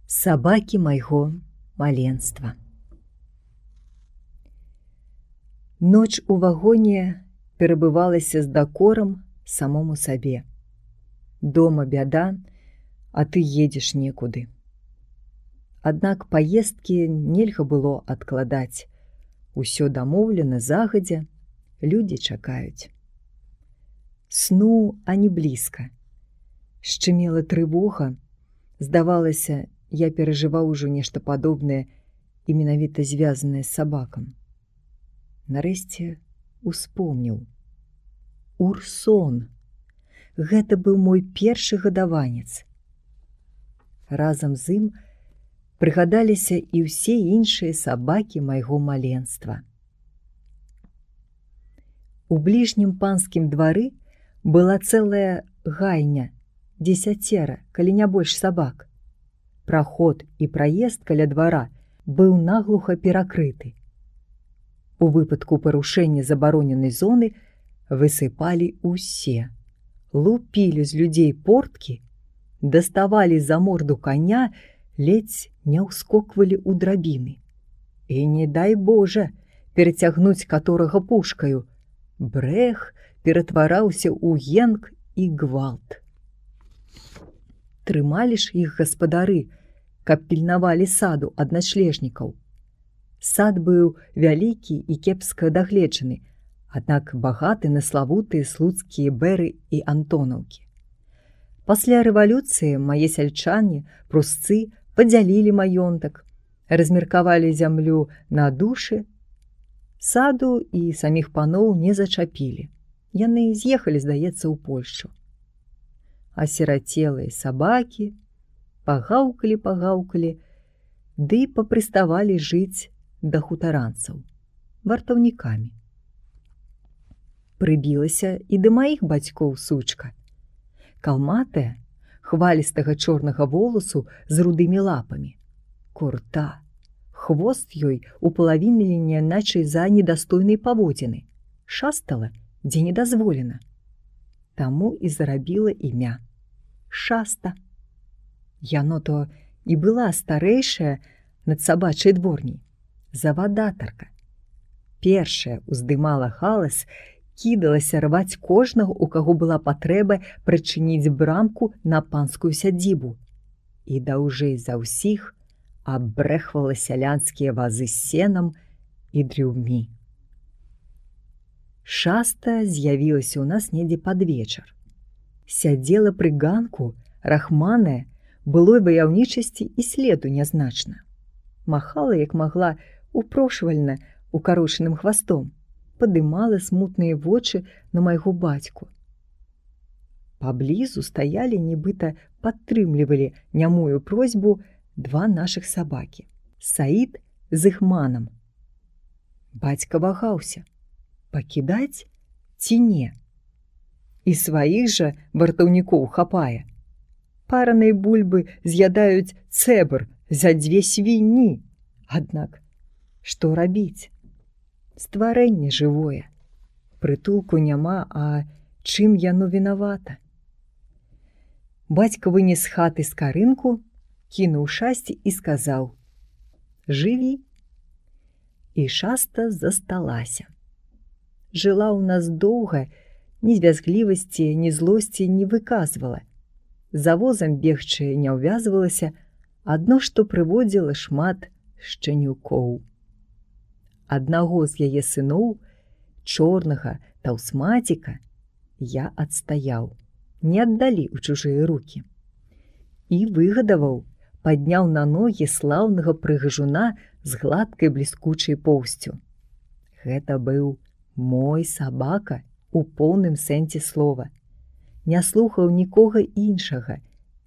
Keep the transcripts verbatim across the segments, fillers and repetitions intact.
Сабакі майго маленства. Ноч у вагоне перабывалася з дакорам самому сабе. Дома бяда, а ты едзеш некуды. Аднак паездкі нельга было адкладаць. Усё дамоўлена загадзя, людзі чакаюць. Сну ані блізка. Шчымела трывога. Здавалася, я перажываў ужо нешта падобнае і менавіта звязанае з сабакам. Нарэшце успомніў. Урсон. Гэта быў мой першы гадаванец. Разам з ім прыгадаліся і ўсе іншыя сабакі майго маленства. У бліжнім панскім двары была цэлая гайня, дзесяцера, калі не больш сабак. Праход і праезд каля двара быў наглуха перакрыты. У выпадку парушэння забароненай зоны высыпалі ўсе, лупілі з людзей порткі, даставалі за морду коня, ледзь не ўскоквалі ў драбіны. І не дай Божа перацягнуць каторага пушкаю. Брэх ператвараўся ў енк і гвалт. Трымалі ж іх гаспадары, каб пільнавалі саду ад начлежнікаў. Сад быў вялікі і кепска дагледжаны, аднак багаты на славутыя слуцкія бэры і антонаўкі. Пасля рэвалюцыі мае сяльчане, прусцы падзялілі маёнтак, размеркавалі зямлю на душы, саду і саміх паноў не зачапілі. Яны з'ехалі, здаецца, у Польшчу. Асірацелыя сабакі пагаўкалі-пагаўкалі, ды папрыставалі жыць да хутаранцаў, вартаўнікамі. Прыбілася і да маіх бацькоў сучка. Калматая, хвалістага чорнага воласу з рудымі лапамі. Курта, хвост ёй упалавінілі няначай за недастойнай паводзіны. Шастала, дзе недазволена. Таму і зарабіла імя Шаста. Яно то і была старэйшая над сабачай дворняй, завадатарка. Першая уздымала галас, кідалася рваць кожнага, у каго была патрэба прычыніць брамку на панскую сядзібу. І даўжэй за ўсіх абрэхвала сялянскія вазы з сенам і дрюмі. Шаста з'явілася ў нас недзе пад вечар. Сядзела пры ганку, рахманая, былой ваяўнічасці і следу нязначна. Махала, як магла, упрошвальна укарочаным хвастом, падымала смутныя вочы на майго бацьку. Паблізу стаялі, нібыта падтрымлівалі нямую просьбу два нашых сабакі – Саід з Ігманам. Бацька вагаўся, пакідаць ці не. І сваіх жа вартаўнікоў хапае. Паранай бульбы з'ядаюць цэбр за дзве свіні. Аднак, што рабіць? Стварэнне жывое. Прытулку няма, а чым яно вінавата? Бацька вынес з хаты скарынку, кінуў шасці і сказаў: «Жыві!» І Шаста засталася. Жыла ў нас доўга, ні звязглівасці, ні злосці не выказвала. За возам бегчы не ўвязвалася, адно што прыводзіла шмат шчанюкоў. Аднаго з яе сыноў, чорнага таўсмаціка, я адстаяў, не аддалі ў чужыя рукі. І выгадаваў, падняў на ногі слаўнага прыгажуна з гладкай бліскучай поўсцю. Гэта быў мой сабака у поўным сэнсе слова. Не слухаў нікога іншага,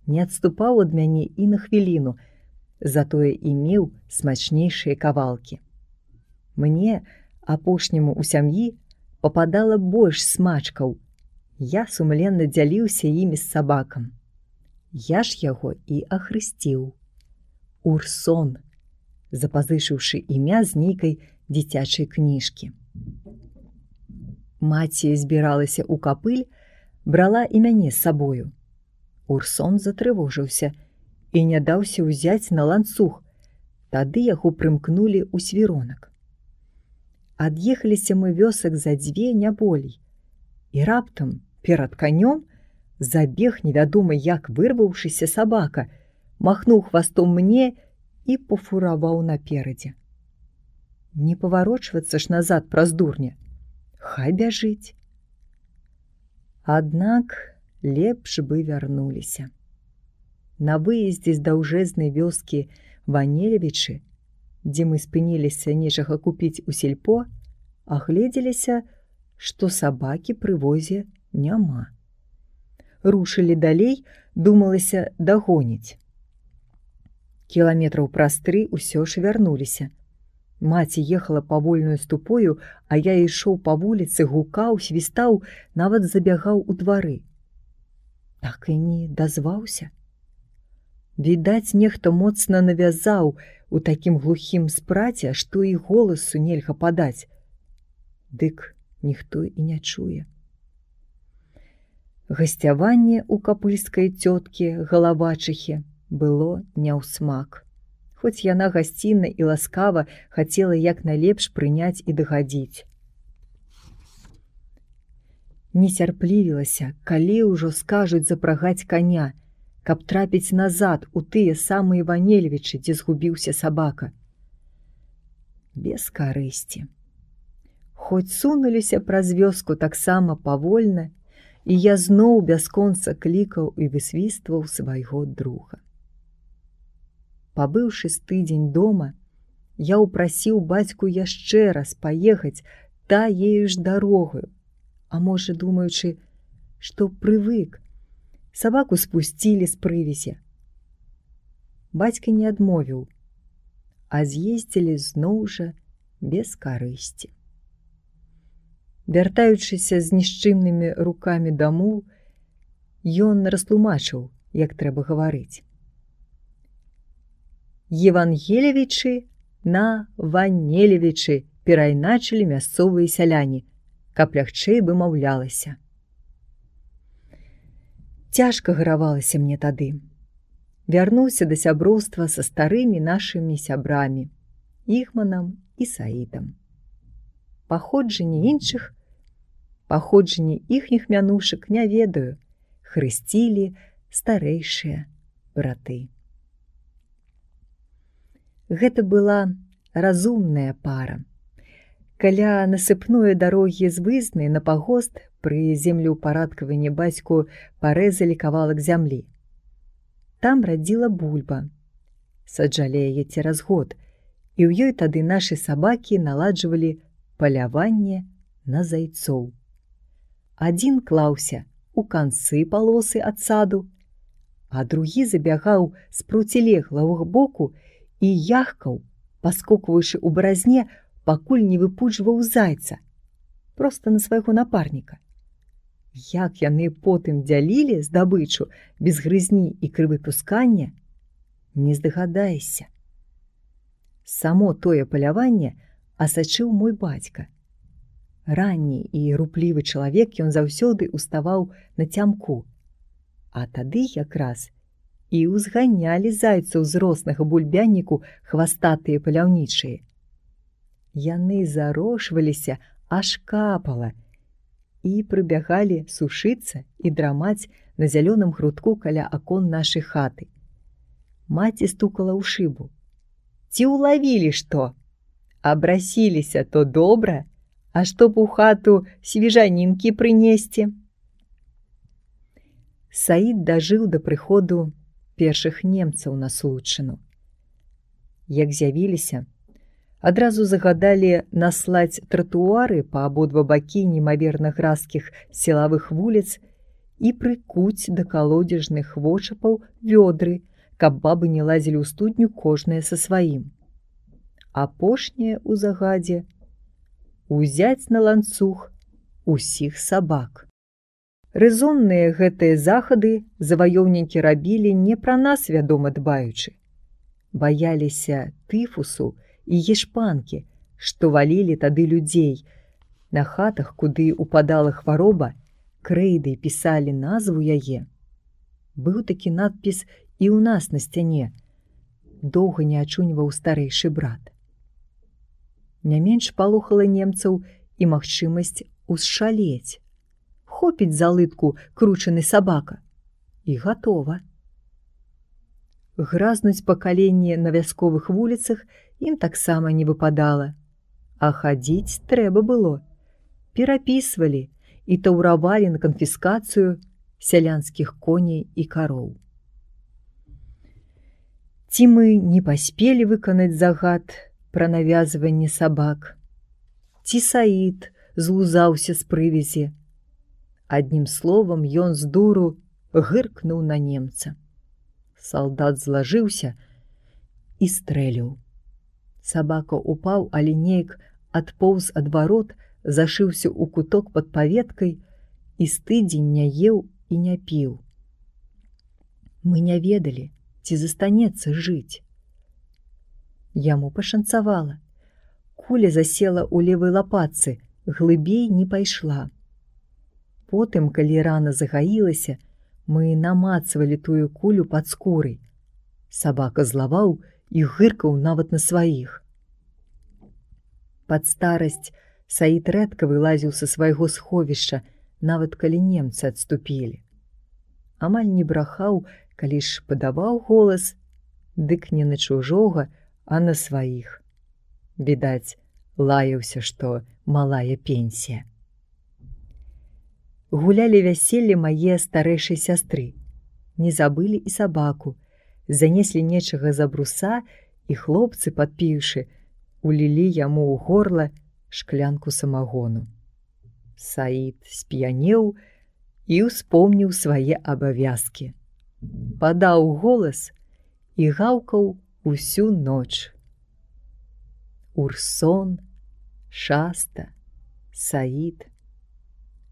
не адступаў ад мяне і на хвіліну, затое і меў смачнейшыя кавалкі. Мне, апошняму ў сям'і, пападала больш смачкаў. Я сумленна дзяліўся імі з сабакам. Я ж яго і ахрысціў. Урсон, запазычыўшы імя з нейкай дзіцячай кніжкі. Маці збіралася ў капыль, брала і мяне з сабою. Урсон затрывожыўся і не даўся ўзяць на ланцуг. Тады яго прымкнулі ў свіронак. Ад'ехаліся мы вёсак за дзве, не болей. І раптам перад канём забег невядома як вырваўшыся сабака, махнуў хвастом мне і пафураваў наперадзе. Не паварочвацца ж назад праз дурня. Хай бяжыць. Аднак лепш бы вярнуліся. На выездзе з даўжэзнай вёскі Ванелевічы, дзе мы спыніліся нечага купіць у сельпо, агледзеліся, што сабакі пры возе няма. Рушылі далей, думалася дагоніць. Кіламетраў праз тры ўсё ж вярнуліся. Маці ехала павольнаю ступою, а я ішоў па вуліцы, гукаў, свістаў, нават забягаў у двары. Так і не дазваўся. Відаць, нехта моцна навязаў у такім глухім спраце, што і голасу нельга падаць. Дык ніхто і не чуе. Гасцяванне ў капыльскай цёткі Галавачыхі было не ў смак. Хоць яна гасцінна і ласкава хацела як найлепш прыняць і дагадзіць. Нецярплівілася, калі ўжо скажуць запрагаць каня, каб трапіць назад у тыя самыя Ванелевічы, дзе згубіўся сабака. Без карысці. Хоць сунуліся праз вёску таксама павольна, і я зноў бясконца клікаў і высвістваў свайго друга. Пабыўшы з тыдзень дома, я ўпрасіў бацьку яшчэ раз паехаць таею ж дарогаю, а можа, думаючы, што прывык, сабаку спусцілі з прывязі. Бацька не адмовіў, а з'ездзілі зноў жа без карысці. Вяртаючыся з нішчымнымі рукамі дамоў, ён растлумачыў, як трэба гаварыць. Евангелевічы на Ванелевічы перайначылі мясцовыя сяляне, каб лягчэй вымаўлялася. Цяжка гаравалася мне тады. Вярнуўся да сяброўства са старымі нашымі сябрамі, Ігманам і Саідам. Паходжанне іншых, паходжанне іхніх мянушак не ведаю, хрысцілі старэйшыя браты. Гэта была разумная пара. Каля насыпной дарогі з Вызны на пагост пры землеўпарадкаванні бацьку парэзалі кавалак зямлі. Там радзіла бульба. Саджалі яе цераз год, і ў ёй тады нашы сабакі наладжвалі паляванне на зайцоў. Адзін клаўся у канцы палосы ад саду, а другі забягаў з процілеглага боку і яхкаў, паскокваючы ў баразне, пакуль не выпуджваў зайца, проста на свайго напарніка. Як яны потым дзялілі здабычу без грызні і крывапускання, не здагадаешся. Само тое паляванне асачыў мой бацька. Ранні і руплівы чалавек, ён заўсёды ўставаў на цямку, а тады якраз і ўзганялі зайцаў з роснага бульбянніку хвастатыя паляўнічыя. Яны зарошваліся, аж капала, і прыбягалі сушыцца і драмаць на зялёным грудку каля акон нашай хаты. Маці стукала ў шыбу. Ці ўлавілі што? Абрасіліся, то добра, а што б у хату свежанінкі прынесці? Саід дажыў да прыходу першых немцаў на Случыну. Як з'явіліся, адразу загадалі наслаць тратуары па абодва бакі немаверна гразкіх сілавых вуліц і прыкуць да калодзежных вочапаў вёдры, каб бабы не лазілі ў студню кожная са сваім. Апошняе ў загадзе узяць на ланцуг усіх сабак. Рэзонныя гэтыя захады заваёўнікі рабілі не пра нас, вядома, дбаючы. Баяліся тыфусу і ешпанкі, што валілі тады людзей. На хатах, куды упадала хвароба, крэйдай пісалі назву яе. Быў такі надпіс і ў нас на сцяне, доўга не ачуньваў старэйшы брат. Не менш палохала немцаў і магчымасць узшалець. Хопіць за лытку кручаны сабака. І гатова. Гразнуць па каленні на вясковых вуліцах ім таксама не выпадала. А хадзіць трэба было. Перапісвалі і таўравалі на канфіскацыю сялянскіх коней і кароў. Ці мы не паспелі выканаць загад пра навязванне сабак, ці Саід злузаўся з прывязі. Аднім словам, ён з дуру гыркнуў на немца. Салдат злажыўся і стрэліў. Сабака упаў, але неяк адпоўз ад варот, зашыўся ў куток пад паветкай і з тыдзень не еў і не піў. Мы не ведалі, ці застанецца жыць. Яму пашанцавала. Куля засела ў левай лапатцы, глыбей не пайшла. Потым, калі рана загаілася, мы намацвалі тую кулю пад скурай. Сабака злаваў і гыркаў нават на сваіх. Пад старасць Саід рэдка вылазіў са свайго сховішча, нават калі немцы адступілі. Амаль не брахаў, калі ж падаваў голас, дык не на чужога, а на сваіх. Відаць, лаяўся, што малая пенсія. Гулялі вяселле мае старэйшай сястры. Не забылі і сабаку. Занеслі нечага за бруса, і хлопцы, падпіўшы, улілі яму ў горла шклянку самагону. Саід сп'янеў і ўспомніў свае абавязкі. Падаў голас і гаўкаў усю ноч. Урсон, Шаста, Саід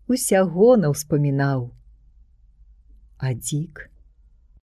усяго наўспамінаў. А дзік